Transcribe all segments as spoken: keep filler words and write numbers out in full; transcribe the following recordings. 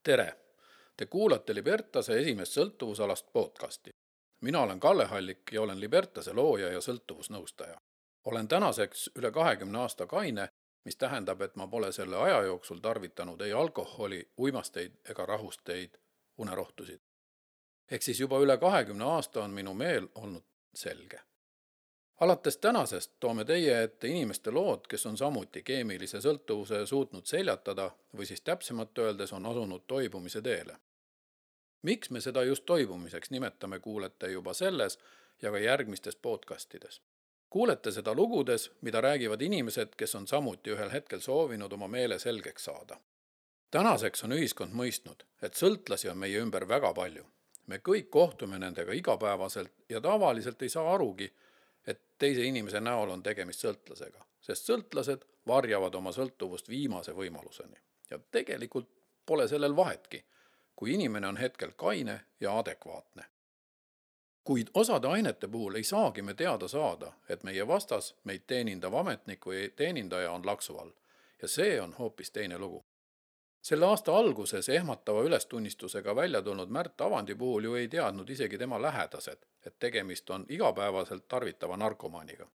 Tere! Te kuulate Libertase esimest sõltuvusalast podcasti. Mina olen Kalle Hallik ja olen Libertase looja ja sõltuvusnõustaja. Olen tänaseks üle kahekümne aasta kaine, mis tähendab, et ma pole selle aja jooksul tarvitanud ei alkoholi, uimasteid ega rahusteid, unerohtusid. Ehk siis juba üle kahekümne aasta on minu meel olnud selge. Alates tänasest toome teie ette inimeste lood, kes on samuti keemilise sõltuvuse suutnud seljatada või siis täpsemalt öeldes on asunud toibumise teele. Miks me seda just toibumiseks nimetame, kuulete juba selles ja ka järgmistes podcastides. Kuulete seda lugudes, mida räägivad inimesed, kes on samuti ühel hetkel soovinud oma meele selgeks saada. Tänaseks on ühiskond mõistnud, et sõltlasi on meie ümber väga palju. Me kõik kohtume nendega igapäevaselt ja tavaliselt ei saa arugi, et teise inimese näol on tegemist sõltlasega, sest sõltlased varjavad oma sõltuvust viimase võimaluseni. Ja tegelikult pole sellel vahetki, kui inimene on hetkel kaine ja adekvaatne. Kuid osade ainete puhul ei saagi me teada saada, et meie vastas meid teenindav ametnik või teenindaja on laksu all. Ja see on hoopis teine lugu. Selle aasta alguses ehmatava ülestunnistusega välja tulnud Märt Avandi puhul ju ei teadnud isegi tema lähedased, et tegemist on igapäevaselt tarvitava narkomaaniga.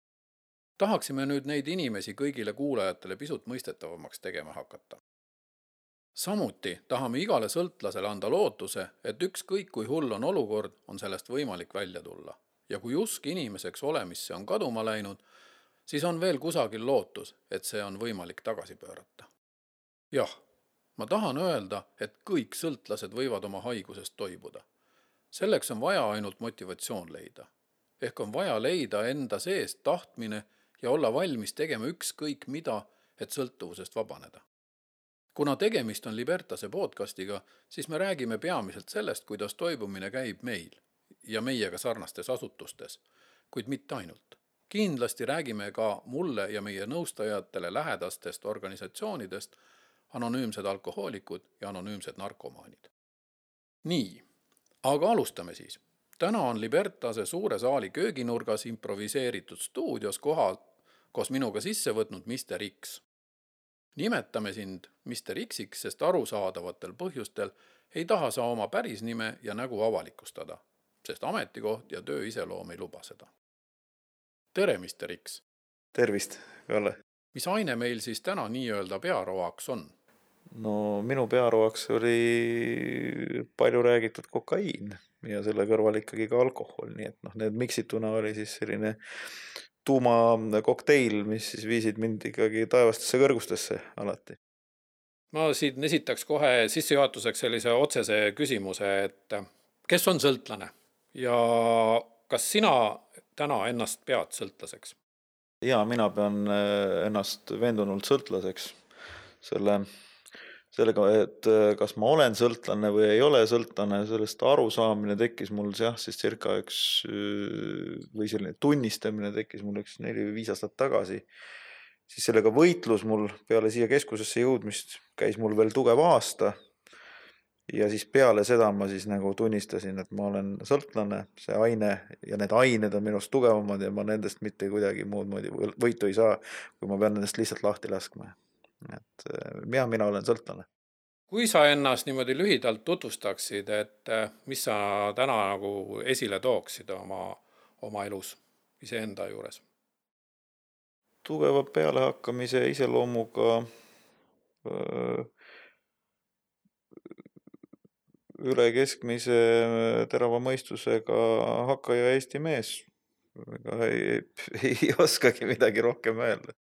Tahaksime nüüd neid inimesi kõigile kuulajatele pisut mõistetavamaks tegema hakata. Samuti tahame igale sõltlasele anda lootuse, et ükskõik kui hull on olukord, on sellest võimalik välja tulla. Ja kui usk inimeseks olemisse on kaduma läinud, siis on veel kusagil lootus, et see on võimalik tagasi pöörata. Jah. Ma tahan öelda, et kõik sõltlased võivad oma haigusest toibuda. Selleks on vaja ainult motivatsioon leida. Ehk on vaja leida enda seest tahtmine ja olla valmis tegema ükskõik mida, et sõltuvusest vabaneda. Kuna tegemist on Libertase podcastiga, siis me räägime peamiselt sellest, kuidas toibumine käib meil ja meiega sarnastes asutustes, kuid mitte ainult. Kindlasti räägime ka mulle ja meie nõustajatele lähedastest organisatsioonidest, anonüümsed alkohoolikud ja anonüümsed narkomaanid. Nii, aga alustame siis. Täna on Libertase suure saali kööginurgas improviseeritud stuudios kohal koos minuga sisse võtnud mister X. Nimetame sind mister X-iks, sest arusaadavatel põhjustel ei taha sa oma päris nime ja nägu avalikustada, sest ametikoht ja töö iseloom ei luba seda. Tere, mister X! Tervist, Kalle! Mis aine meil siis täna nii-öelda pearoaks on? No minu pearoaks oli palju räägitud kokaiin ja selle kõrval ikkagi ka alkohol, nii et noh, need miksituna oli siis selline tuuma kokteil, mis siis viisid mind ikkagi taevastesse kõrgustesse alati. Ma siin esitaks kohe sissejuhatuseks sellise otsese küsimuse, et kes on sõltlane ja kas sina täna ennast pead sõltlaseks? Ja mina pean ennast veendunult sõltlaseks selle sellega, et kas ma olen sõltlane või ei ole sõltlane, sellest arusaamine tekkis mul jah, siis circa üks või selline tunnistamine tekkis mul üks neli või viis aastat tagasi. Siis sellega võitlus mul peale siia keskusesse jõudmist käis mul veel tugev aasta ja siis peale seda ma siis nagu tunnistasin, et ma olen sõltlane, see aine ja need ained on minust tugevamad ja ma nendest mitte kuidagi muud moodi võitu ei saa, kui ma pean nendest lihtsalt lahti laskma. Et ja mina olen sõltlane. Kui sa ennast niimoodi lühidalt tutvustaksid, et mis sa täna nagu esile tooksid oma, oma elus iseenda juures? Tugeva pealehakkamise iseloomuga üle keskmise terava mõistusega hakkaja Eesti mees. Ei, ei oskagi midagi rohkem öelda.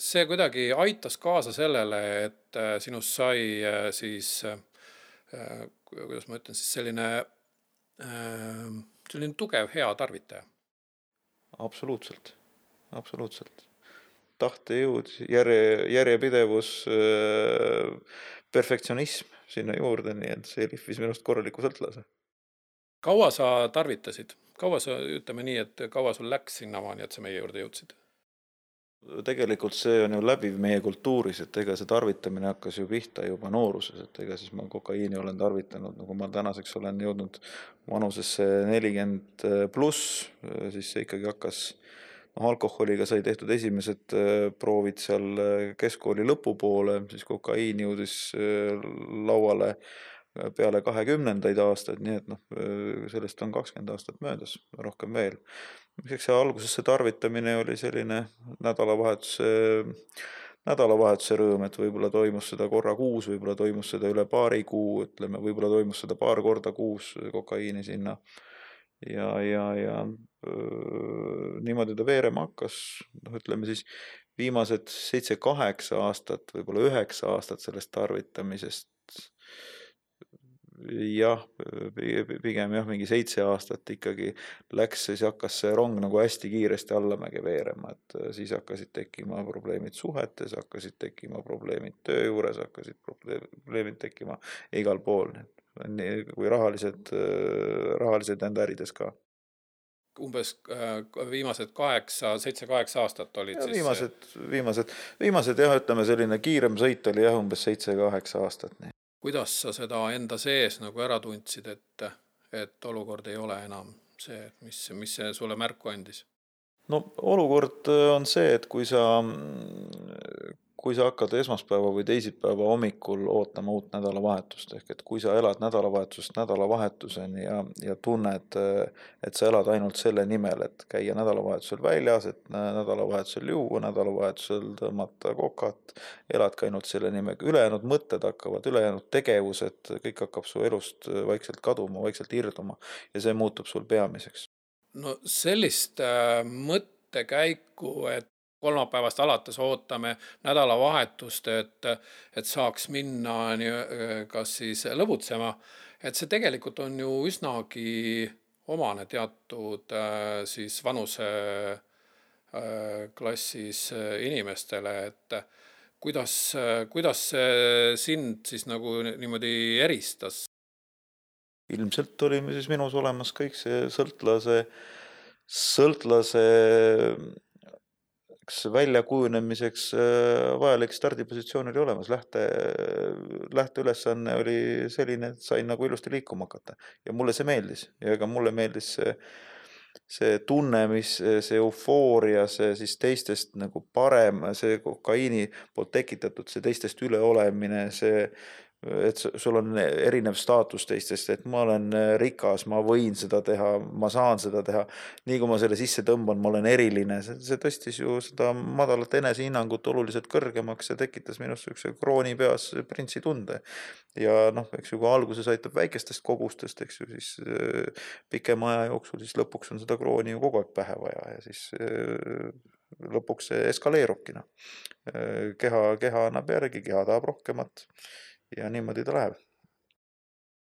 See kuidagi aitas kaasa sellele, et sinust sai siis, kuidas ma ütlen, siis selline, selline tugev, hea tarvitaja. Absoluutselt, absoluutselt. Tahtejõud, järje, järjepidevus, perfektsionism sinna juurde, nii et see lihvis minust korraliku sõltlase. Kaua sa tarvitasid? Kaua sa, ütleme nii, et kaua sul läks sinnamaani, et sa meie juurde jõudsid? Tegelikult see on ju läbiv meie kultuuris, et ega see tarvitamine hakkas ju pihta juba nooruses, et ega siis ma kokaiini olen tarvitanud, nagu ma tänaseks olen jõudnud vanusesse nelikümmend pluss, siis see ikkagi hakkas noh, alkoholiga sai tehtud esimesed proovid seal keskkooli lõpupoole, siis kokaiin jõudis lauale peale kahekümnendaid aastaid, nii et noh, sellest on kakskümmend aastat möödas, rohkem veel. Eks see alguses see tarvitamine oli selline nädalavahetuse, nädalavahetuse rõõm, et võib-olla toimus seda korra kuus, võib-olla toimus seda üle paari kuu, ütleme, võib-olla toimus seda paar korda kuus kokaiini sinna. Ja, ja, ja öö, niimoodi ta veerema hakkas, noh, ütleme siis viimased seitse kaheksa aastat, võib-olla üheksa aastat sellest tarvitamisest. Jah, pigem jah, mingi seitse aastat ikkagi läks, siis hakkas see rong nagu hästi kiiresti allamäge veerema, et siis hakkasid tekkima probleemid suhetes, hakkasid tekkima probleemid töö juures, hakkasid probleemid tekkima igal pool, kui rahalised, rahalised enda ärides ka. Umbes viimased kaheksa, seitse kaheksa aastat olid ja, siis... Viimased, viimased, viimased jah, ütleme selline kiirem sõit oli jah, umbes seitse kaheksa aastat. Nii. Kuidas sa seda enda sees nagu ära tundsid, et, et olukord ei ole enam see, mis, mis see sulle märku andis? No olukord on see, et kui sa, kui sa hakkad esmaspäeva või teisipäeva hommikul ootama uut nädalavahetust, ehk et kui sa elad nädalavahetusest nädalavahetuseni ja, ja tunned, et sa elad ainult selle nimel, et käia nädalavahetusel väljas, et nädalavahetusel juua, nädalavahetusel tõmmata kokat, elad ka ainult selle nimega. Ülejäänud mõtted hakkavad, ülejäänud tegevused, kõik hakkab su elust vaikselt kaduma, vaikselt irduma ja see muutub sul peamiseks. No sellist äh, mõttekäiku, et kolmapäevast alates ootame nädalavahetust, et, et saaks minna nii, kas siis lõbutsema, et see tegelikult on ju üsnagi omane teatud äh, siis vanuse äh, klassis inimestele, et kuidas, kuidas see sind siis nagu niimoodi eristas? Ilmselt oli siis minus olemas kõik see sõltlase, sõltlase väljakujunemiseks vajalik stardipositsioon oli olemas. Lähte, lähteülesanne oli selline, et sain nagu ilusti liikuma hakata. Ja mulle see meeldis. Ja ega mulle meeldis see, see tunne, mis see eufooria, see siis teistest nagu parem, see kokaiini poolt tekitatud, see teistest üleolemine, see et sul on erinev staatus teistest, et ma olen rikas, ma võin seda teha, ma saan seda teha. Nii kui ma selle sisse tõmban, ma olen eriline. See, see tõstis ju seda madalat enesehinnangut oluliselt kõrgemaks ja tekitas minust üks krooni peas printsi tunde. Ja noh, eks ju, kui alguses aitab väikestest kogustest, eks ju, siis pikema aja jooksul, siis lõpuks on seda krooni ju kogu aeg pähe vaja ja siis lõpuks see eskaleerubki. No. Keha, keha annab järgi, keha tahab rohkemat. Ja niimoodi ta läheb.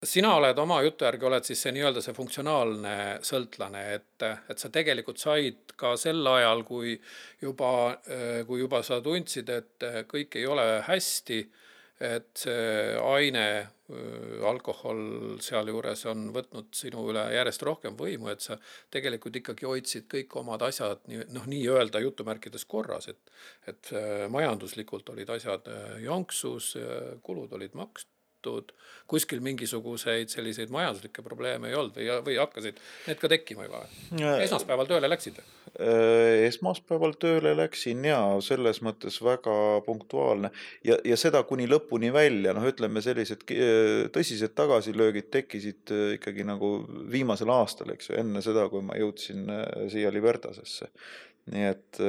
Sina oled oma jutu järgi, oled siis see nii-öelda see funktsionaalne sõltlane, et, et sa tegelikult said ka sel ajal, kui juba, kui juba sa tundsid, et kõik ei ole hästi, et see aine, alkohol seal juures on võtnud sinu üle järjest rohkem võimu, et sa tegelikult ikkagi hoidsid kõik omad asjad noh, nii öelda jutumärkides korras, et, et majanduslikult olid asjad jonksus, kulud olid makstud, kuskil mingisuguseid selliseid majanduslikke probleeme ei olnud või, või hakkasid need ka tekkima juba? Esmaspäeval tööle läksid? Esmaspäeval tööle läksin ja selles mõttes väga punktuaalne ja, ja seda kuni lõpuni välja, noh ütleme sellised tõsised tagasilöögid tekkisid ikkagi nagu viimasel aastal, eks ju, enne seda, kui ma jõudsin siia Libertasesse. Nii et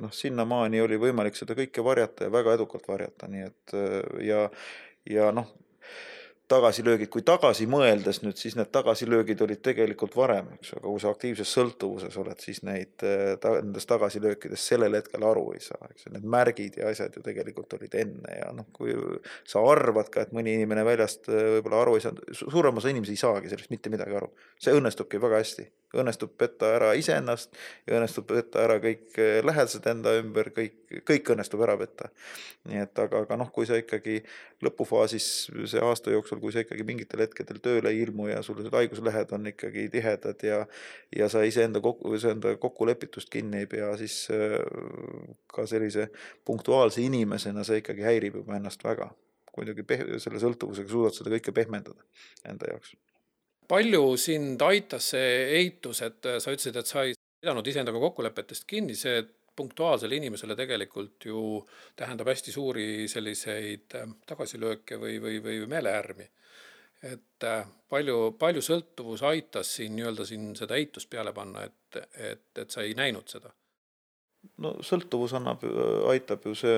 noh, sinnamaani oli võimalik seda kõike varjata ja väga edukalt varjata, nii et ja, ja noh, tagasilöögid, kui tagasi mõeldes nüüd, siis need tagasilöögid olid tegelikult varem, eks, aga kui sa aktiivses sõltuvuses oled, siis neid ta, nendest tagasilöökides sellel hetkel aru ei saa, eks, need märgid ja asjad ju tegelikult olid enne ja noh, kui sa arvad ka, et mõni inimene väljast võib-olla aru ei saa, suurem osa inimesi ei saagi sellest mitte midagi aru, see õnnestubki väga hästi, õnnestub petta ära iseennast ja õnnestub petta ära kõik lähedased enda ümber, kõik, kõik õnnestub ära petta. Nii et aga, aga noh, kui sa ikkagi lõpufaasis see aasta jooksul, kui sa ikkagi mingitel hetkedel tööle ei ilmu ja sul haiguslehed on ikkagi tihedad ja, ja sa iseenda kokku, iseenda kokkulepitust kinni ei pea, siis ka sellise punktuaalse inimesena see ikkagi häirib juba ennast väga. Kuidagi peh- selle sõltuvusega suudad seda kõike pehmendada enda jaoks. Palju sind aitas see eitus, et sa ütlesid, et sai pidanud iseendaga kokkulepetest kinni, see punktuaalsele inimesele tegelikult ju tähendab hästi suuri selliseid tagasilööke või, või, või meeleärmi. Et palju, palju sõltuvus aitas siin nii-öelda siin seda eitust peale panna, et, et, et sa ei näinud seda? No sõltuvus annab, aitab ju see,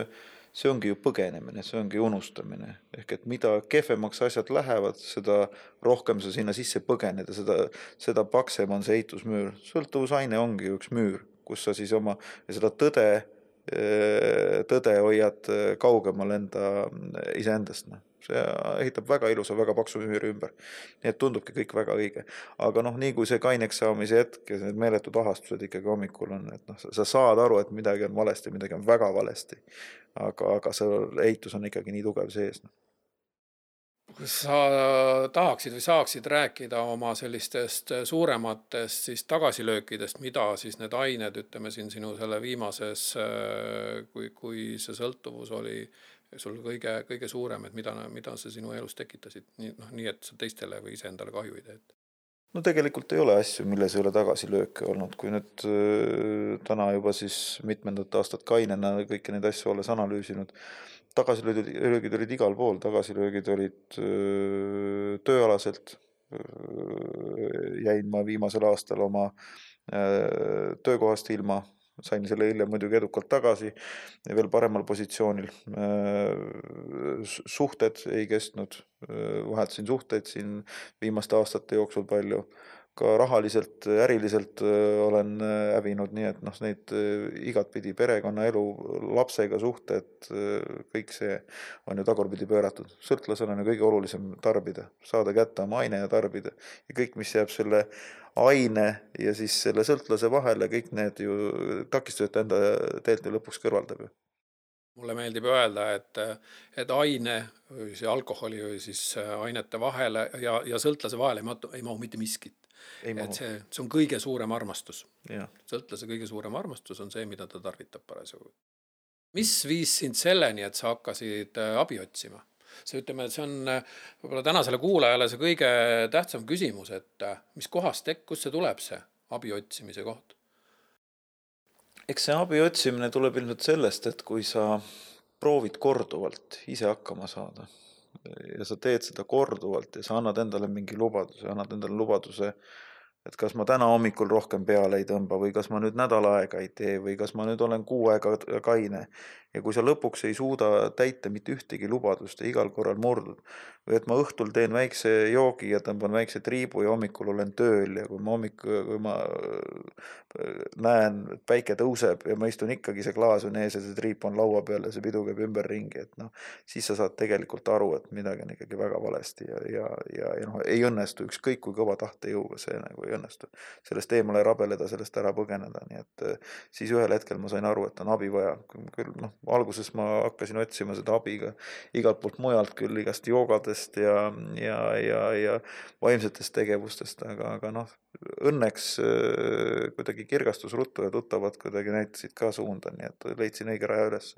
see ongi ju põgenemine, see ongi unustamine. Ehk et mida kehvemaks asjad lähevad, seda rohkem sa sinna sisse põgeneda, seda, seda paksem on see eitusmüür. Sõltuvusaine ongi üks müür, kus sa siis oma ja seda tõde, tõde hoiad kaugemal enda iseendast. See ehitab väga ilusa, väga paksu müüri ümber. Nii et tundubki kõik väga õige. Aga noh, nii kui see kaineks saamise hetk ja need meeletud ahastused ikkagi hommikul on, et noh, sa saad aru, et midagi on valesti, midagi on väga valesti. Aga, aga see eitus on ikkagi nii tugev sees. Kui sa tahaksid või saaksid rääkida oma sellistest suurematest siis tagasilöökidest, mida siis need ained, ütleme siin sinu selle viimases, kui, kui see sõltuvus oli sul kõige, kõige suurem, et mida, mida sa sinu elus tekitasid, nii, noh, nii et sa teistele või ise endale kahju ei tee? No tegelikult ei ole asju, milles ei ole tagasilööke olnud. Kui nüüd äh, täna juba siis mitmendat aastat kainena kõiki neid asju olles analüüsinud, tagasilöögid olid igal pool, tagasilöögid olid öö, tööalaselt. Jäin ma viimasel aastal oma öö, töökohast ilma, sain selle hiljem muidugi edukalt tagasi ja veel paremal positsioonil. Suhted ei kestnud, vahetasin suhteid siin viimaste aastate jooksul palju. Ka rahaliselt, äriliselt olen hävinud, nii et noh, neid igatpidi perekonna elu, lapsega suhted, kõik see on ju tagurpidi pööratud. Sõltlasel on ju kõige olulisem tarbida, saada kätte oma aine ja tarbida. Ja kõik, mis jääb selle aine ja siis selle sõltlase vahele, kõik need ju takistused enda teelt ju lõpuks kõrvaldab ju. Mulle meeldib öelda, et, et aine, see alkoholi või siis ainete vahele ja, ja sõltlase vahele ei mahu, ei mahu mitte miskit. Et see, see on kõige suurem armastus. Ja. Sõltlase kõige suurem armastus on see, mida ta tarvitab parasjagu. Mis viis sind selleni, et sa hakkasid abi otsima? See, ütleme, et see on võib-olla tänasele kuulajale see kõige tähtsam küsimus, et mis kohast tek-, kus see tuleb see abi otsimise koht? Eks see abi otsimine tuleb ilmselt sellest, et kui sa proovid korduvalt ise hakkama saada ja sa teed seda korduvalt ja sa annad endale mingi lubaduse, annad endale lubaduse, et kas ma täna hommikul rohkem peale ei tõmba või kas ma nüüd nädal aega ei tee või kas ma nüüd olen kuu aega kaine. Ja kui sa lõpuks ei suuda täita mitte ühtegi lubadust ja igal korral murdud või et ma õhtul teen väikse joogi ja tõmban väikse triibu ja hommikul olen tööl ja kui ma hommik, kui ma näen, et päike tõuseb ja ma istun ikkagi see klaas on ees ja see triip on laua peal ja see pidu käib ümber ringi, et noh, siis sa saad tegelikult aru, et midagi on ikkagi väga valesti ja, ja, ja, ja noh, ei õnnestu ükskõik kui kõva tahte jõuga see nagu ei õnnestu. Sellest eemale rabeleda, sellest ära põgeneda, nii et siis ühel hetkel ma sain aru, et on abi vaja. Küll, noh, alguses ma hakkasin otsima seda abiga igalt poolt mujalt küll igast joogadest ja, ja, ja, ja vaimsetest tegevustest, aga, aga noh, õnneks kuidagi kirgastus ruttu ja tuttavad kuidagi näitasid ka suunda, nii et leidsin õige raja üles.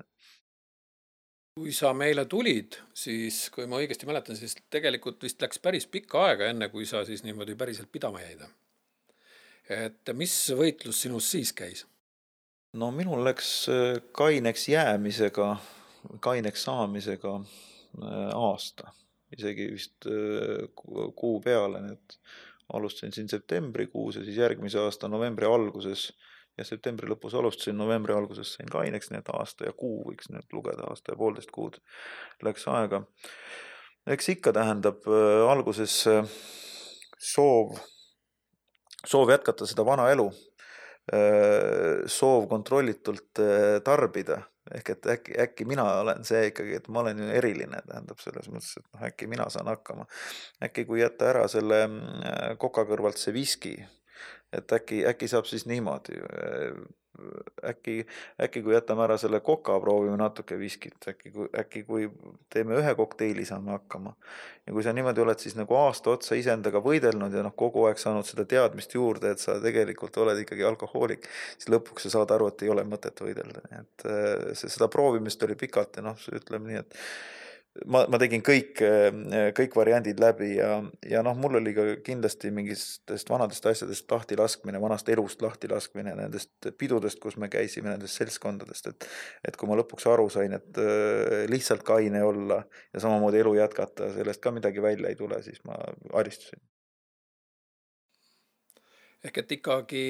Kui sa meile tulid, siis kui ma õigesti mäletan, siis tegelikult vist läks päris pikka aega enne, kui sa siis niimoodi päriselt pidama jäid. Et mis võitlus sinus siis käis? No minul läks kaineks jäämisega, kaineks saamisega aasta, isegi vist kuu peale, et alustasin siin septembrikuus ja siis järgmise aasta novembri alguses ja septembri lõpus alustasin, novembri alguses sain kaineks, nii et aasta ja kuu võiks nüüd lugeda, aasta ja poolteist kuud läks aega. Eks ikka tähendab alguses soov, soov jätkata seda vana elu, soov kontrollitult tarbida, ehk et äkki, äkki mina olen see ikkagi, et ma olen ju eriline, tähendab selles mõttes, et noh, äkki mina saan hakkama. Äkki kui jätta ära selle koka kõrvalt see viski, et äkki, äkki saab siis niimoodi, äkki, äkki kui jätame ära selle koka, proovime natuke viskit, äkki, äkki kui teeme ühe kokteili, saame hakkama. Ja kui sa niimoodi oled siis nagu aasta otsa iseendaga võidelnud ja noh, kogu aeg saanud seda teadmist juurde, et sa tegelikult oled ikkagi alkohoolik, siis lõpuks sa saad aru, et ei ole mõtet võidelda. Et see, seda proovimist oli pikalt ja noh, ütleme nii, et ma, ma tegin kõik, kõik variandid läbi ja, ja noh, mul oli ka kindlasti mingitest vanadest asjadest lahti laskmine, vanast elust lahti laskmine, nendest pidudest, kus me käisime, nendest seltskondadest, et, et kui ma lõpuks aru sain, et lihtsalt kaine olla ja samamoodi elu jätkata, sellest ka midagi välja ei tule, siis ma alistusin. Ehk et ikkagi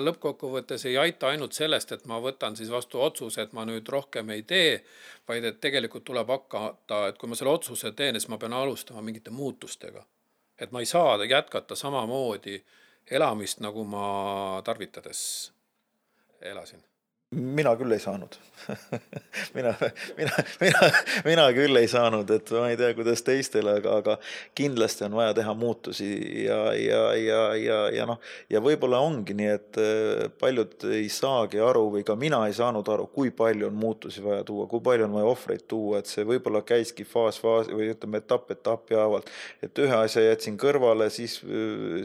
lõppkokkuvõttes ei aita ainult sellest, et ma võtan siis vastu otsuse, et ma nüüd rohkem ei tee, vaid et tegelikult tuleb hakata, et kui ma selle otsuse teen, siis ma pean alustama mingite muutustega. Et ma ei saa jätkata samamoodi elamist, nagu ma tarvitades elasin. Mina küll ei saanud. mina, mina, mina, mina küll ei saanud, et ma ei tea, kuidas teistele, aga, aga kindlasti on vaja teha muutusi ja, ja, ja, ja, ja, noh, ja võib-olla ongi nii, et paljud ei saagi aru või ka mina ei saanud aru, kui palju on muutusi vaja tuua, kui palju on vaja ohvreid tuua, et see võib-olla käiski faas, faas või ütleme etapp, etapp jaavalt, et ühe asja jätsin kõrvale, siis,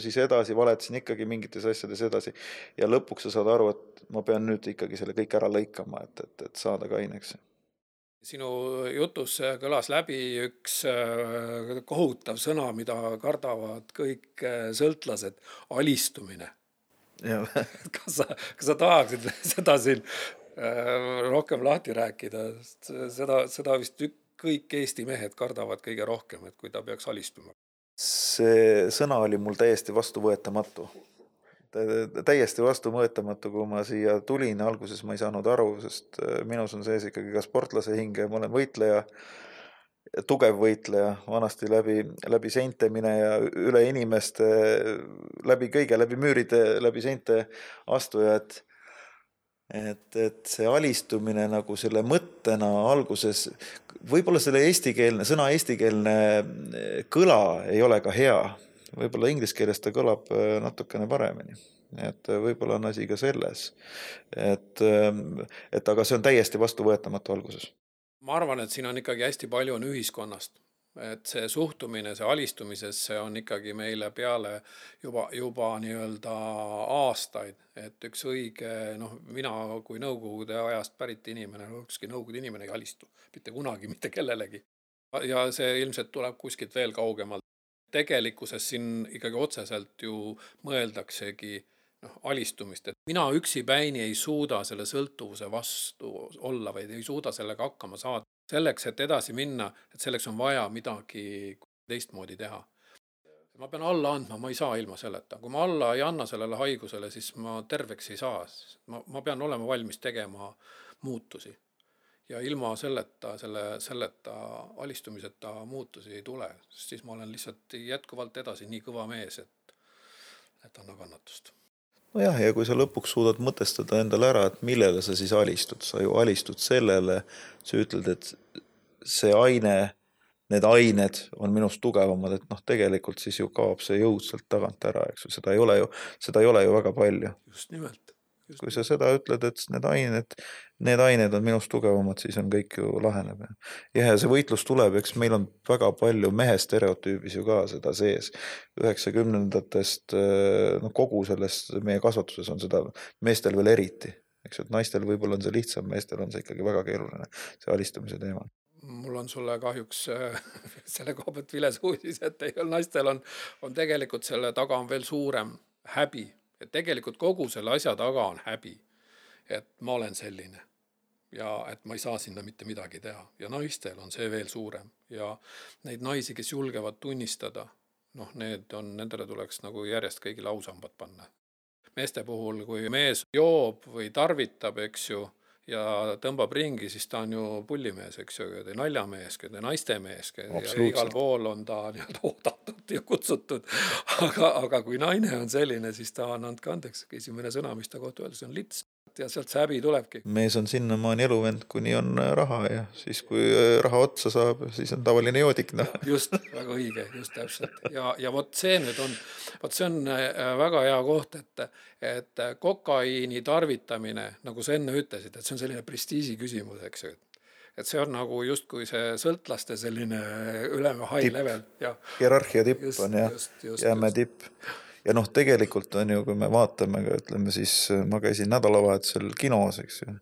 siis edasi valetasin ikkagi mingites asjades edasi ja lõpuks sa saad aru, et ma pean nüüd ikkagi selle kõik ära lõikama, et, et, et saada kaineks. Sinu jutus kõlas läbi üks kohutav sõna, mida kardavad kõik sõltlased, alistumine. kas, sa, kas sa tahaksid seda siin rohkem lahti rääkida? Seda, seda vist kõik Eesti mehed kardavad kõige rohkem, et kui ta peaks alistuma. See sõna oli mul täiesti vastuvõetamatu. täiesti vastuvõetamatu, kui ma siia tulin, alguses ma ei saanud aru, sest minus on sees ikkagi ka sportlase hinge, ma olen võitleja, tugev võitleja, vanasti läbi, läbi seinte mine ja üle inimeste, läbi kõige, läbi müüride, läbi seinte astuja, et, et, et see alistumine nagu selle mõttena alguses, võib-olla selle eestikeelne, sõna eestikeelne kõla ei ole ka hea, võib-olla inglise keeles ta kõlab natukene paremini. Et võib-olla on asi ka selles. Et, et aga see on täiesti vastuvõetamatu alguses. Ma arvan, et siin on ikkagi hästi palju on ühiskonnast. Et see suhtumine, see alistumises, see on ikkagi meile peale juba, juba nii-öelda aastaid. Et üks õige, noh, mina kui nõukogude ajast pärit inimene, ükski nõukogude inimene ei alistu. Mitte kunagi, mitte kellelegi. Ja see ilmselt tuleb kuskilt veel kaugemalt. Tegelikkuses siin ikkagi otseselt ju mõeldaksegi noh, alistumist, et mina üksi päini ei suuda selle sõltuvuse vastu olla või ei suuda sellega hakkama saada. Selleks, et edasi minna, et selleks on vaja midagi teistmoodi teha. Ma pean alla andma, ma ei saa ilma selleta. Kui ma alla ei anna sellele haigusele, siis ma terveks ei saa. Ma, ma pean olema valmis tegema muutusi. Ja ilma selleta, selle, selleta alistumiseta muutusi ei tule, sest siis ma olen lihtsalt jätkuvalt edasi nii kõva mees, et, et anna kannatust. No jah, ja kui sa lõpuks suudad mõtestada endale ära, et millele sa siis alistud, sa ju alistud sellele, sa ütled, et see aine, need ained on minust tugevamad, et noh, tegelikult siis ju kaob see jõud sealt tagant ära, eks ju, seda ei ole ju, seda ei ole ju väga palju. Just nimelt. Just kui sa seda ütled, et need ained, need ained on minust tugevamad, siis on kõik ju laheneb. Ja, ja see võitlus tuleb, eks meil on väga palju mehe stereotüübis ju ka seda sees. üheksakümnendatest no, kogu sellest meie kasvatuses on seda meestel veel eriti. Eks, et naistel võib-olla on see lihtsam, meestel on see ikkagi väga keeruline, see alistumise teema. Mul on sulle kahjuks selle koha pealt viles uudis, et teil naistel on, on tegelikult selle taga on veel suurem häbi. Et tegelikult kogu selle asja taga on häbi, et ma olen selline ja et ma ei saa sinna mitte midagi teha. Ja naistel on see veel suurem ja neid naisi, kes julgevad tunnistada, noh, need on, nendele tuleks nagu järjest kõigile ausambad panna. Meeste puhul, kui mees joob või tarvitab, eks ju, ja tõmbab ringi, siis ta on ju pullimees, eks ju, ja naljamees, ja naistemees, ja igal pool on ta nii-öelda oodatud ja kutsutud. Aga, aga kui naine on selline, siis ta on andke andeks, esimene sõna, mis ta kohta öeldes on lits. Ja sealt see häbi tulebki. Mees on sinna maani eluvend, kuni on raha ja siis kui raha otsa saab, siis on tavaline joodik. No. Just, väga õige, just täpselt. Ja, ja vot see nüüd on, vot see on väga hea koht, et, et kokaiini tarvitamine, nagu sa enne ütlesid, et see on selline prestiisi küsimus, eks ju. Et see on nagu just kui see sõltlaste selline ülema high tipp. Level. Ja. Hierarhia tipp just, on ja just, just, jääme just. Tipp. Ja noh, tegelikult on ju, kui me vaatame, ütleme siis, ma käisin nädalavahetusel kinos, eks ju,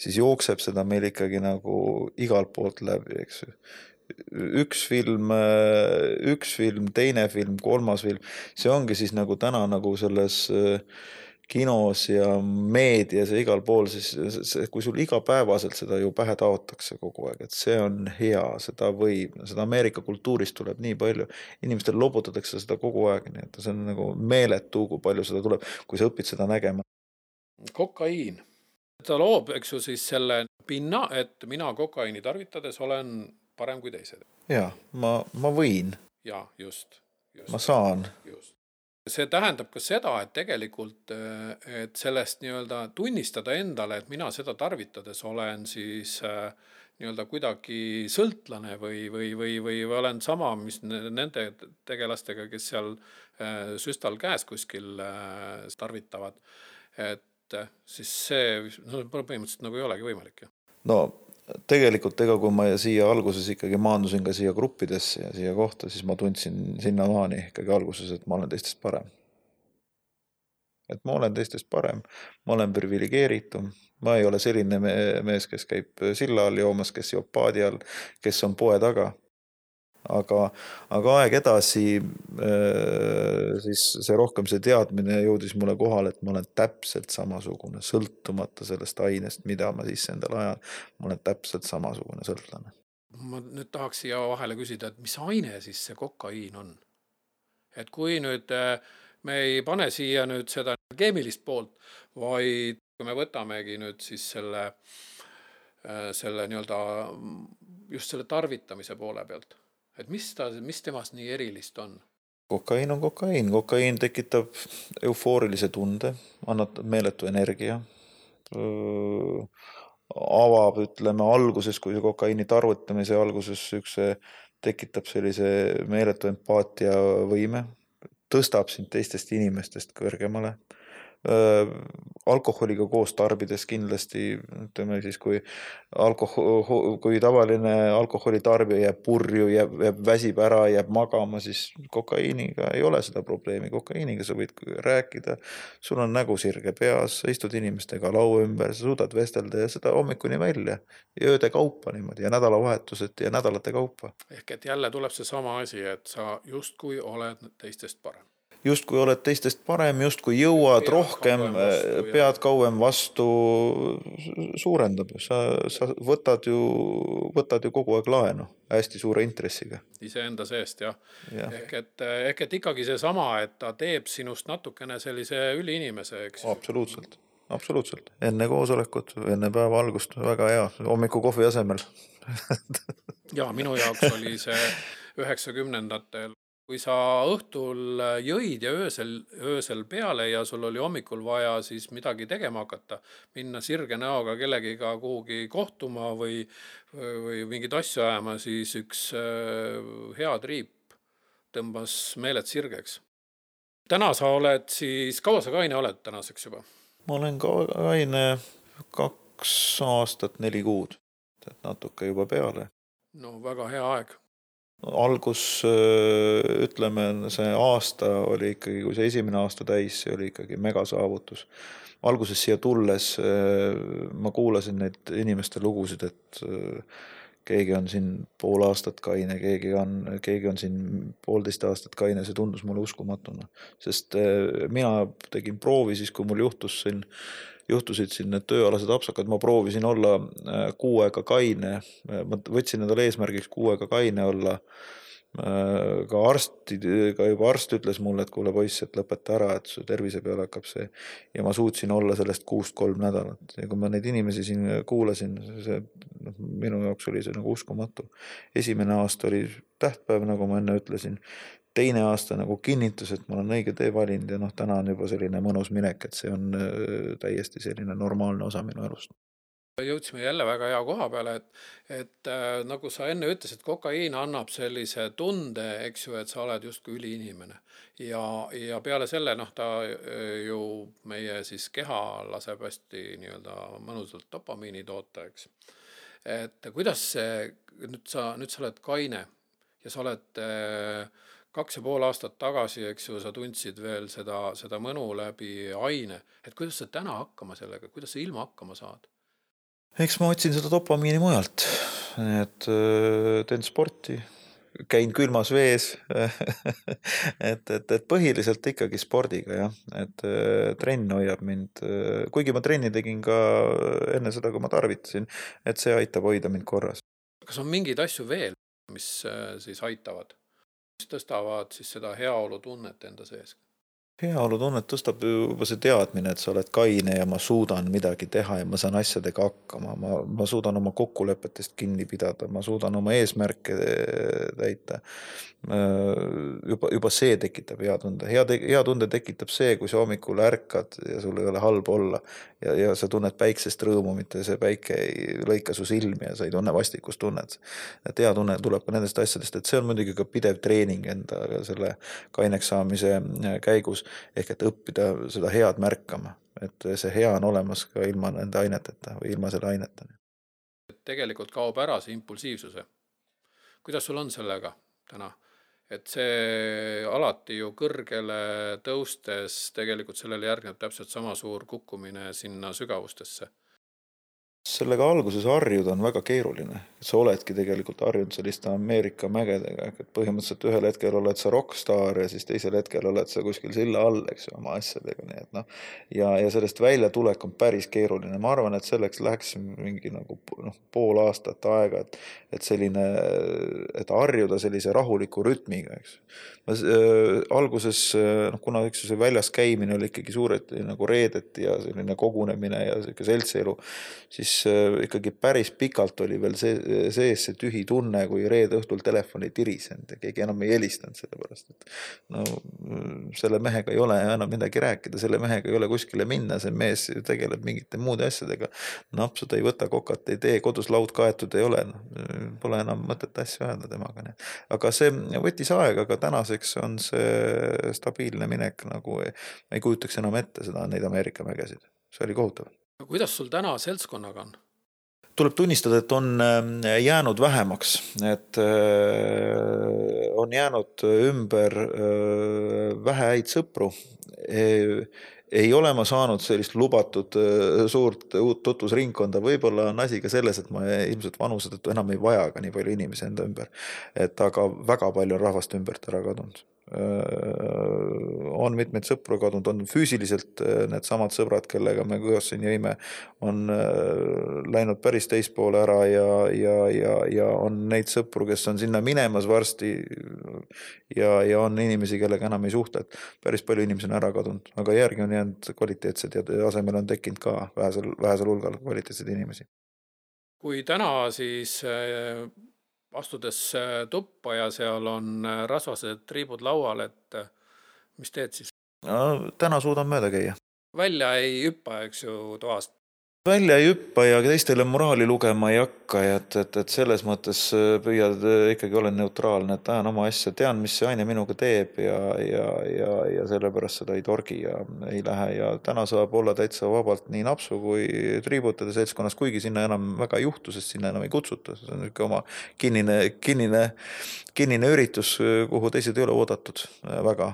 siis jookseb seda meil ikkagi nagu igalt poolt läbi, eks ju. üks film, üks film, teine film, kolmas film, see ongi siis nagu täna nagu selles kinos ja meedias ja igal pool, siis see, kui sul igapäevaselt seda ju pähe taotakse kogu aeg, et see on hea, seda võib, seda Ameerika kultuurist tuleb nii palju, inimestel lobutatakse seda kogu aeg, nii et see on nagu meeletu, kui palju seda tuleb, kui sa õpid seda nägema. Kokaiin. Ta loob, eks ju, siis selle pinna, et mina kokaiini tarvitades olen parem kui teised. Jaa, ma, ma võin. Jaa, just, just. Ma saan. Just. See tähendab ka seda, et tegelikult et sellest nii-öelda tunnistada endale, et mina seda tarvitades olen siis nii-öelda kuidagi sõltlane või, või, või, või olen sama, mis nende tegelastega, kes seal süstal käes kuskil tarvitavad. Et siis see no, põhimõtteliselt nagu ei olegi võimalik. No tegelikult ega kui ma siia alguses ikkagi maandusin ka siia gruppidesse ja siia kohta, siis ma tundsin sinna maani ikkagi alguses, et ma olen teistest parem. Et ma olen teistest parem, ma olen privilegeeritum, ma ei ole selline mees, kes käib silla all joomas, kes joob paadi all, kes on poe taga. Aga, aga aeg edasi, siis see rohkem see teadmine jõudis mulle kohale, et ma olen täpselt samasugune, sõltumata sellest ainest, mida ma siis endal ajan, ma olen täpselt samasugune sõltlane. Ma nüüd tahaks siia vahele küsida, et mis aine siis see kokaiin on? Et kui nüüd me ei pane siia nüüd seda keemilist poolt, vaid kui me võtamegi nüüd siis selle, selle nii-öelda just selle tarvitamise poole pealt. Et mis, ta, mis temast nii erilist on? Kokaiin on kokaiin. Kokaiin tekitab eufoorilise tunde, annab meeletu energia, öö, avab, ütleme, alguses, kui see kokaiini tarvitamise alguses üks tekitab sellise meeletu empaatia võime, tõstab sind teistest inimestest kõrgemale. Alkoholiga koos tarbides kindlasti, ütleme siis, kui, alkohol, kui tavaline alkoholi tarbija jääb purju, jääb, jääb väsib ära, jääb magama, siis kokaiiniga ei ole seda probleemi. Kokaiiniga sa võid rääkida, sul on nägu sirge peas, sa istud inimestega laua ümber, sa suudad vestelda ja seda hommikuni välja ja ööde kaupa niimoodi ja nädalavahetused ja nädalate kaupa. Ehk et jälle tuleb see sama asi, et sa justkui oled teistest parem. Just kui oled teistest parem, just kui jõuad pead rohkem, vastu, pead kauem vastu, suurendab. Sa, sa võtad, ju, võtad ju kogu aeg laenu hästi suure intressiga. Ise enda seest, jah. Ja. Ehk, et, ehk et ikkagi see sama, et ta teeb sinust natukene sellise üliinimese, eks? Absoluutselt, absoluutselt. Enne koosolekut, enne päeva algust, väga hea, hommiku kohvi asemel. Ja, minu jaoks oli see üheksakümnendatel. Kui sa õhtul jõid ja öösel, öösel peale ja sul oli hommikul vaja siis midagi tegema hakata, minna sirge näoga kellegiga kuhugi kohtuma või, või mingid asju ajama, siis üks hea triip tõmbas meeled sirgeks. Täna sa oled siis, kaua sa kaine oled tänaseks juba? Ma olen kaine kaks aastat, neli kuud, et natuke juba peale. No väga hea aeg. Algus, ütleme, see aasta oli ikkagi, kui see esimene aasta täis, see oli ikkagi megasaavutus. Alguses siia tulles ma kuulasin neid inimeste lugusid, et keegi on siin pool aastat kaine, keegi on, keegi on siin poolteist aastat kaine, see tundus mulle uskumatuna. Sest mina tegin proovi siis, kui mul juhtus siin juhtusid siin need tööalased apsakad, ma proovisin olla kuu aega kaine, ma võtsin endale eesmärgiks kuu aega kaine olla, ka arstid, ka juba arst ütles mulle, et kuule poiss, et lõpeta ära, et su tervise peale hakkab see, ja ma suutsin olla sellest kuust kolm nädalat, ja kui ma neid inimesi siin kuulasin, see, minu jaoks oli see nagu uskumatu. Esimene aasta oli tähtpäev, nagu ma enne ütlesin, teine aasta nagu kinnitus, et ma olen õige tee valinud ja noh, täna on juba selline mõnus minek, et see on täiesti selline normaalne osa minu elust. Jõudsime jälle väga hea koha peale, et, et äh, nagu sa enne ütlesid, kokaiin annab sellise tunde, eks ju, et sa oled justkui üliinimene. Ja, ja peale selle, noh, ta ju meie siis keha laseb hästi nii-öelda mõnusalt dopamiini toota, eks. Et kuidas see, nüüd sa, nüüd sa oled kaine ja sa oled äh, kaks ja pool aastat tagasi, eks ju, sa tundsid veel seda, seda mõnu läbi aine. Et kuidas sa täna hakkama sellega, kuidas sa ilma hakkama saad? Eks ma otsin seda dopamiini mujalt. et teen sporti, käin külmas vees et, et, et põhiliselt ikkagi spordiga, jah, et trenn hoiab mind, kuigi ma trenni tegin ka enne seda, kui ma tarvitasin, et see aitab hoida mind korras. Kas on mingeid asju veel, mis siis aitavad, mis tõstavad siis seda heaolu tunnet enda sees? Heaolu tunnet tõstab juba see teadmine, et sa oled kaine ja ma suudan midagi teha ja ma saan asjadega hakkama. Ma, ma suudan oma kokkulepetest kinni pidada, ma suudan oma eesmärke täita. Juba, juba see tekitab hea tunde. Hea, te, hea tunde tekitab see, kui sa hommikul ärkad ja sul ei ole halb olla ja, ja sa tunned päiksest rõõmu, mitte see päike ei lõika su silmi ja sa ei tunne vastikust tunnet. Et hea tunne tuleb ka nendest asjadest, et see on muidugi ka pidev treening enda selle kaineks saamise käigus. Ehk et õppida seda head märkama, et see hea on olemas ka ilma nende aineteta või ilma selle aineta. Tegelikult kaob ära see impulsiivsuse. Kuidas sul on sellega täna? Et see alati ju kõrgele tõustes tegelikult sellele järgneb täpselt sama suur kukkumine sinna sügavustesse. Sellega alguses harjuda on väga keeruline. Sa oledki tegelikult harjunud selliste Ameerika mägedega, et põhimõtteliselt ühel hetkel oled sa rockstar ja siis teisel hetkel oled sa kuskil silla all, eks oma asjadega. Nii et no, ja, ja sellest välja tulek on päris keeruline. Ma arvan, et selleks läheks mingi nagu no, pool aastat aega, et, et selline, et harjuda sellise rahuliku rütmiga, eks. Ma, äh, alguses, noh, kuna üks see väljas käimine oli ikkagi suured nagu reedet ja selline kogunemine ja selline seltsielu, siis ikkagi päris pikalt oli veel see, sees see tühi tunne, kui reede õhtul telefoni tirisend ja keegi enam ei helistanud selle pärast, et no selle mehega ei ole enam midagi rääkida, selle mehega ei ole kuskile minna, see mees tegeleb mingite muude asjadega, napsud ei võta, kokat ei tee, kodus laud kaetud ei ole, no, pole enam mõtet asju öelda temaga. Nii. Aga see võttis aega, aga tänaseks on see stabiilne minek, nagu ei, ei kujutaks enam ette seda neid Ameerika mägesid, see oli kohutav. Kuidas sul täna seltskonnaga on? Tuleb tunnistada, et on jäänud vähemaks, et on jäänud ümber vähe häid sõpru. Ei ole ma saanud sellist lubatud suurt uut tutvusringkonda, võib-olla on asi ka selles, et ma ilmselt vanused, et enam ei vaja ka nii palju inimesi enda ümber, et aga väga palju on rahvast ümbert ära kadunud. On mitmeid sõpru kadunud, on füüsiliselt need samad sõbrad, kellega me koos siin jõime, on läinud päris teispoole ära ja, ja, ja, ja on neid sõpru, kes on sinna minemas varsti ja, ja on inimesi, kellega enam ei suhtle, et päris palju inimesi on ära kadunud, aga järgi on jäänud kvaliteetsed ja asemel on tekkinud ka vähesel, vähesel hulgal kvaliteetsed inimesi. Kui täna siis astudes tuppa ja seal on rasvased triibud laual, et mis teed siis? No, täna suudan mööda käia. Välja ei hüppa, eks ju, toast? Välja ei hüppa ja teistele moraali lugema ei hakka, et, et, et selles mõttes püüad ikkagi olen neutraalne, et ajan oma asja, tean, mis see aine minuga teeb ja, ja, ja, ja sellepärast seda ei torgi ja ei lähe ja täna saab olla täitsa vabalt nii napsu kui triibutade seltskonnas, kuigi sinna enam väga ei juhtu, sest sinna enam ei kutsuta, see on ikka oma kinnine, kinnine, kinnine üritus, kuhu teised ei ole oodatud väga,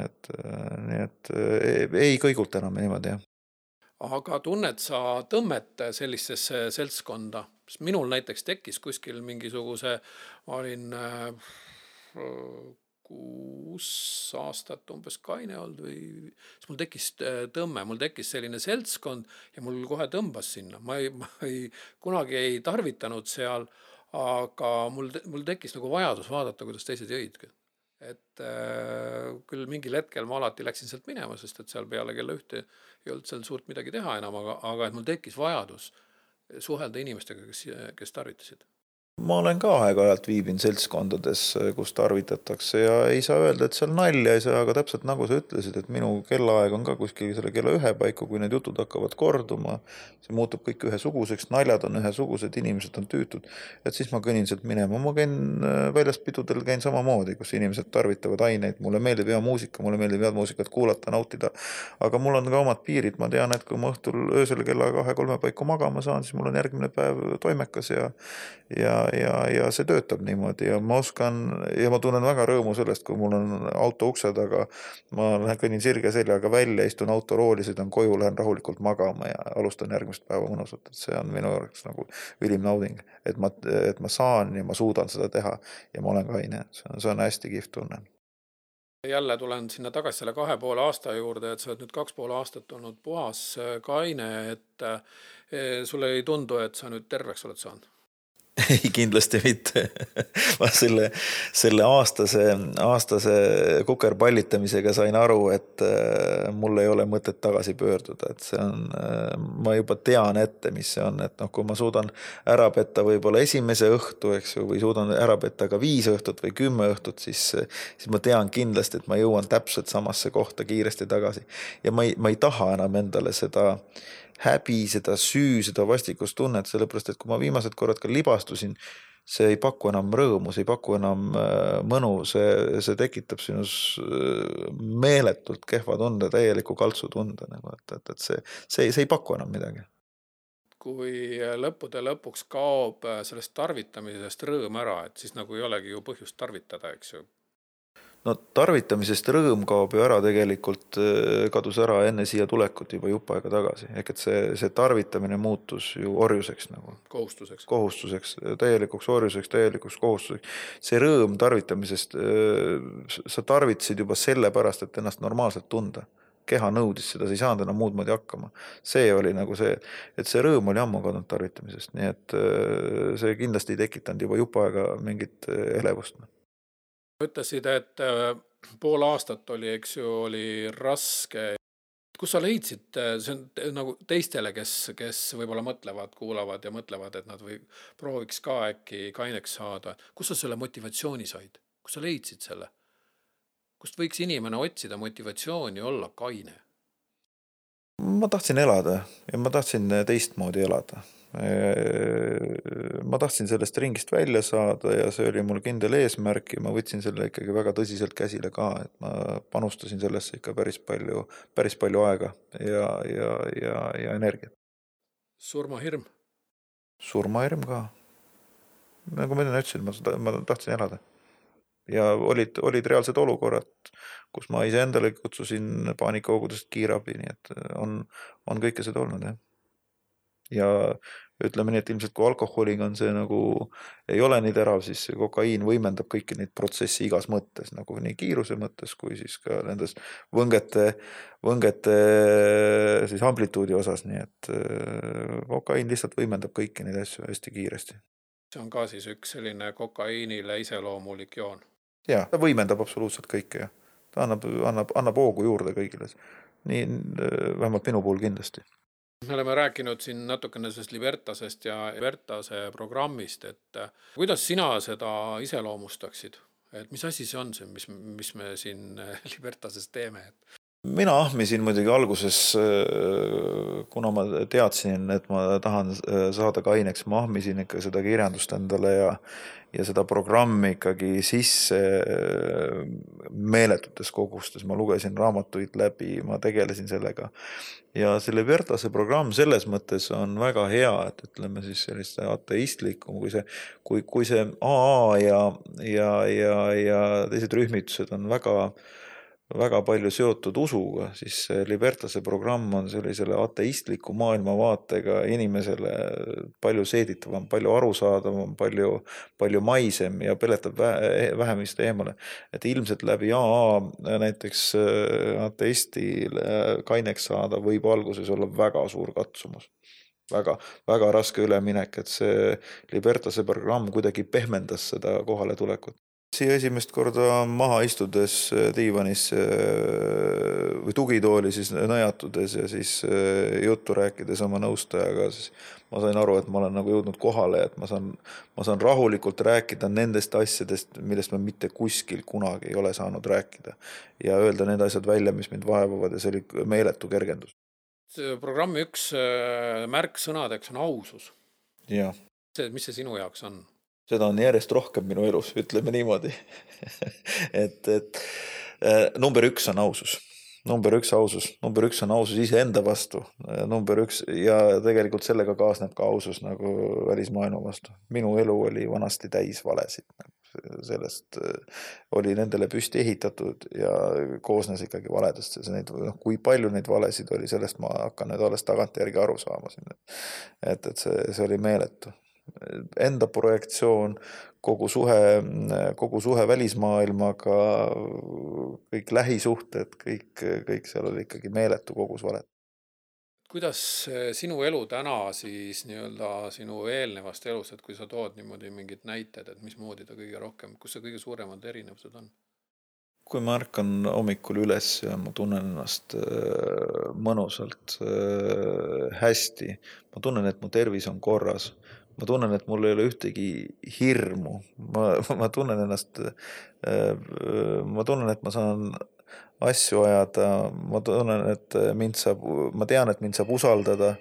et, nii et ei kõigult enam niimoodi, jah. Aga tunned sa tõmmet sellisesse seltskonda? Minul näiteks tekkis kuskil mingisuguse, ma olin kuus aastat umbes kaine olnud või siis mul tekkis tõmme, mul tekkis selline seltskond ja mul kohe tõmbas sinna. Ma ei, ma ei, kunagi ei tarvitanud seal, aga mul, mul tekkis nagu vajadus vaadata, kuidas teised jõid. Et äh, küll mingil hetkel ma alati läksin sealt minema, sest et seal peale kella ühte ei olnud seal suurt midagi teha enam, aga, aga et mul tekkis vajadus suhelda inimestega, kes, kes tarvitasid. Ma olen ka aeg-ajalt viibin seltskondades, kus tarvitatakse ja ei saa öelda, et seal nalja ei saa, aga täpselt nagu sa ütlesid, et minu kellaaeg on ka kuskil selle kella ühe paiku, kui need jutud hakkavad korduma, see muutub kõik ühesuguseks, naljad on ühesugused, inimesed on tüütud, et siis ma kõnin sealt minema. Ma käin väljast pidudel, käin samamoodi, kus inimesed tarvitavad aineid, mulle meeldib hea muusika, mulle meeldib head muusikat kuulata, nautida, aga mul on ka omad piirid, ma tean, et kui ma õhtul öösel kella kahe kolme paiku magama saan, siis mul on järgmine päev toimekas ja, ja ja, ja see töötab niimoodi ja ma oskan ja ma tunnen väga rõõmu sellest, kui mul on auto ukse taga, ma lähen kõnnin sirge seljaga välja, istun autorooli, sõidan koju, lähen rahulikult magama ja alustan järgmist päeva mõnusalt, et see on minu jaoks nagu ülim nauding, et ma, et ma saan ja ma suudan seda teha ja ma olen kaine, see on, see on hästi kihvt tunne. Jälle tulen sinna tagasi selle kahe poole aasta juurde, et sa oled nüüd kaks poole aastat olnud puhas kaine, et sulle ei tundu, et sa nüüd terveks oled saanud? Ei, kindlasti mitte. Ma selle, selle aastase, aastase kukerpallitamisega sain aru, et mul ei ole mõtet tagasi pöörduda. Et see on, ma juba tean ette, mis see on. Et noh, kui ma suudan ära petta võib-olla esimese õhtu, eks ju, või suudan ära petta ka viis õhtut või kümme õhtut, siis, siis ma tean kindlasti, et ma jõuan täpselt samasse kohta kiiresti tagasi. Ja ma ei, ma ei taha enam endale seda häbi, seda süü, seda vastikust tunnet, sellepärast, et kui ma viimased korrad ka libastusin, see ei paku enam rõõmu, see ei paku enam mõnu, see, see tekitab sinus meeletult kehva tunde, täieliku kaltsu tunde, nagu, et, et, et see, see, see ei paku enam midagi. Kui lõppude lõpuks kaob sellest tarvitamisest rõõm ära, et siis nagu ei olegi ju põhjust tarvitada, eks ju? No tarvitamisest rõõm kaob ju ära tegelikult, kadus ära enne siia tulekut juba jupp aega tagasi. Ehk et see, see tarvitamine muutus ju orjuseks nagu. Kohustuseks. Kohustuseks, täielikuks orjuseks, täielikuks kohustuseks. See rõõm tarvitamisest, sa tarvitasid juba selle pärast, et ennast normaalselt tunda. Keha nõudis seda, sa ei saanud enam muud moodi hakkama. See oli nagu see, et see rõõm oli ammu kadunud tarvitamisest. Nii et see kindlasti ei tekitanud juba jupp aega mingit elevust. Ütlesid, et pool aastat oli, eks ju, oli raske. Kus sa leidsid, see on nagu teistele, kes, kes võib-olla mõtlevad, kuulavad ja mõtlevad, et nad või prooviks ka äkki kaineks saada. Kus sa selle motivatsiooni said? Kus sa leidsid selle? Kust võiks inimene otsida motivatsiooni olla kaine? Ma tahtsin elada ja ma tahtsin teistmoodi elada. Ma tahtsin sellest ringist välja saada ja see oli mul kindel eesmärk ja ma võtsin selle ikkagi väga tõsiselt käsile ka, et ma panustasin sellesse ikka päris palju, päris palju aega ja, ja, ja, ja energiat. Surmahirm? Surmahirm ka. Nagu ma enne ütlesin, ma, ma tahtsin elada. Ja olid, olid reaalsed olukorrad, kus ma ise endale kutsusin paanikahoogudest kiirabi, nii et on, on kõike seda olnud. Ja. ja ütleme nii, et ilmselt kui alkoholiga on see nagu ei ole nii terav, siis kokaiin võimendab kõiki neid protsessi igas mõttes, nagu nii kiiruse mõttes, kui siis ka nendes võngete, võngete siis amplituudi osas, nii et kokaiin lihtsalt võimendab kõiki neid asju hästi kiiresti. See on ka siis üks selline kokaiinile iseloomulik joon. Jaa, ta võimendab absoluutselt kõike ja ta annab, annab, annab hoogu juurde kõigile. Nii vähemalt minu puhul kindlasti. Me oleme rääkinud siin natukene sellest Libertasest ja Libertase programmist, et kuidas sina seda iseloomustaksid? Et mis asi see on see, mis, mis me siin Libertases teeme? Mina ahmisin muidugi alguses, kuna ma teadsin, et ma tahan saada kaineks, ma ahmisin ikka seda kirjandust endale ja, ja seda programmi ikkagi sisse meeletutes kogustes. Ma lugesin raamatuid läbi, ma tegelesin sellega. Ja see Libertase programm selles mõttes on väga hea, et ütleme siis sellist ateistlikum, kui see, kui, kui see A A ja, ja, ja, ja teised rühmitused on väga väga palju seotud usuga, siis Libertase programm on sellisele ateistliku maailmavaatega inimesele palju seeditavam, palju arusaadavam, palju, palju maisem ja peletab vähemist eemale. Et ilmselt läbi A A näiteks ateistile kaineks saada võib alguses olla väga suur katsumus. Väga, väga raske üleminek, et see Libertase programm kuidagi pehmendas seda kohale tulekut. Siia esimest korda maha istudes diivanis või tugitooli siis nõjatudes ja siis juttu rääkides oma nõustajaga, siis ma sain aru, et ma olen nagu jõudnud kohale, et ma saan, ma saan rahulikult rääkida nendest asjadest, millest ma mitte kuskil kunagi ei ole saanud rääkida ja öelda need asjad välja, mis mind vaevavad ja see oli meeletu kergendus. See programmi üks märksõnadeks on ausus. Ja. See, mis see sinu jaoks on? Seda on järjest rohkem minu elus, ütleme niimoodi. et, et number üks on ausus. number üks ausus, number üks on ausus iseenda vastu, number üks ja tegelikult sellega kaasneb ka ausus nagu välismaailma vastu. Minu elu oli vanasti täis valesid, sellest oli nendele püsti ehitatud ja koosnes ikkagi valedest. Neid, noh, kui palju neid valesid oli, sellest ma hakkan nüüd alles tagantjärgi aru saama siin. Et, et see, see oli meeletu. Enda projektsioon, kogu suhe, kogu suhe välismaailmaga, kõik lähisuhted, kõik, kõik seal oli ikkagi meeletu kogus valet. Kuidas sinu elu täna siis nii-öelda sinu eelnevast elust, et kui sa tood niimoodi mingid näited, et mis moodi ta kõige rohkem, kus see kõige suuremad erinevused on? Kui ma ärkan hommikul üles ja ma tunnen ennast mõnusalt hästi, ma tunnen, et mu tervis on korras, ma tunnen, et mul ei ole ühtegi hirmu, ma, ma tunnen ennast, ma tunnen, et ma saan asju ajada, ma tunnen, et mind saab, ma tean, et mind saab usaldada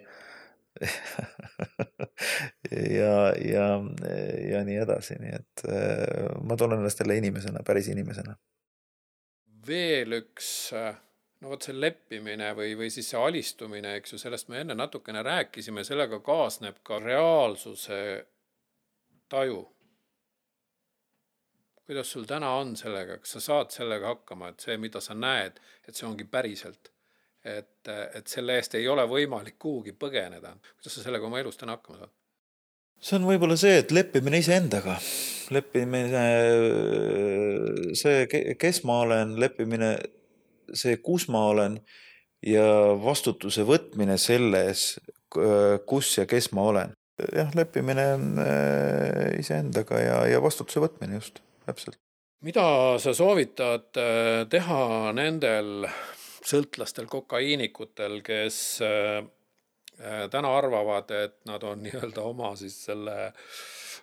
ja, ja, ja nii edasi, nii et ma tunnen ennast jälle inimesena, päris inimesena. Veel üks, no võt see leppimine või, või siis see alistumine, eks ju, sellest me enne natukene rääkisime, sellega kaasneb ka reaalsuse taju. Kuidas sul täna on sellega, kas sa saad sellega hakkama, et see, mida sa näed, et see ongi päriselt, et, et selle eest ei ole võimalik kuhugi põgeneda. Kuidas sa sellega oma elus täna hakkama saad? See on võib-olla see, et leppimine iseendaga, leppimine see, kes ma olen, leppimine see, kus ma olen ja vastutuse võtmine selles, kus ja kes ma olen. Jah, leppimine iseendaga ja, ja vastutuse võtmine just, täpselt. Mida sa soovitad teha nendel sõltlastel, kokaiinikutel, kes täna arvavad, et nad on nii-öelda oma siis selle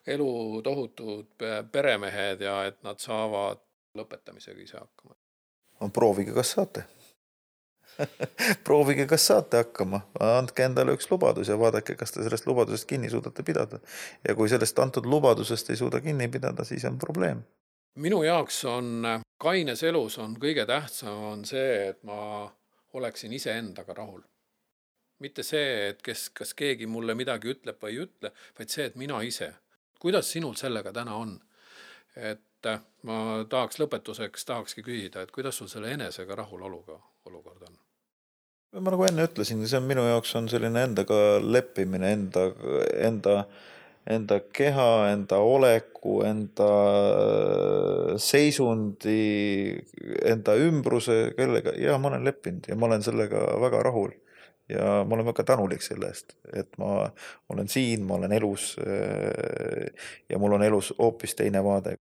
elu tohutud peremehed ja et nad saavad lõpetamisega ise hakkama? No, proovige, kas saate. Proovige, kas saate hakkama. Andke endale üks lubadus ja vaadake, kas te sellest lubadusest kinni suudate pidada. Ja kui sellest antud lubadusest ei suuda kinni pidada, siis on probleem. Minu jaoks on kaines elus on kõige tähtsam on see, et ma oleksin ise endaga rahul. Mitte see, et kes, kas keegi mulle midagi ütleb või ei ütle, vaid see, et mina ise. Kuidas sinul sellega täna on? Et ma tahaks lõpetuseks, tahakski küsida, et kuidas sul selle enesega rahuloluga olukord on? Ma nagu enne ütlesin, see on minu jaoks on selline endaga leppimine, enda, enda, enda keha, enda oleku, enda seisundi, enda ümbruse, kellega, ja ma olen leppinud ja ma olen sellega väga rahul. Ja ma olen väga tänulik selle eest, et ma olen siin, ma olen elus ja mul on elus hoopis teine vaade.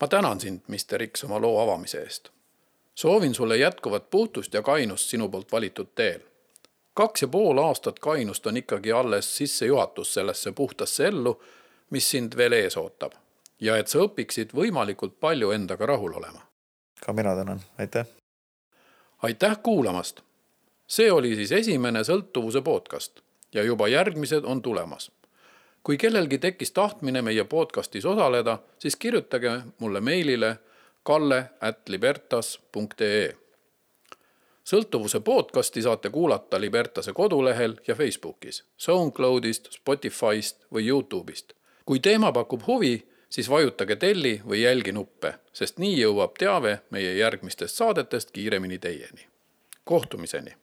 Ma tänan sind, mister X, oma loo avamise eest. Soovin sulle jätkuvat puhtust ja kainust sinu poolt valitud teel. Kaks ja pool aastat kainust on ikkagi alles sisse juhatus sellesse puhtasse ellu, mis sind veel ees ootab. Ja et sa õpiksid võimalikult palju endaga rahul olema. Ka mina tänan, aitäh. Aitäh kuulamast. See oli siis esimene sõltuvuse podcast ja juba järgmised on tulemas. Kui kellelgi tekkis tahtmine meie podcastis osaleda, siis kirjutage mulle meilile kalle at libertas punkt ee. Sõltuvuse podcasti saate kuulata Libertase kodulehel ja Facebookis, SoundCloudist, Spotifyst või YouTube'ist. Kui teema pakub huvi, siis vajutage telli või jälgi nuppe, sest nii jõuab teave meie järgmistest saadetest kiiremini teieni. Kohtumiseni!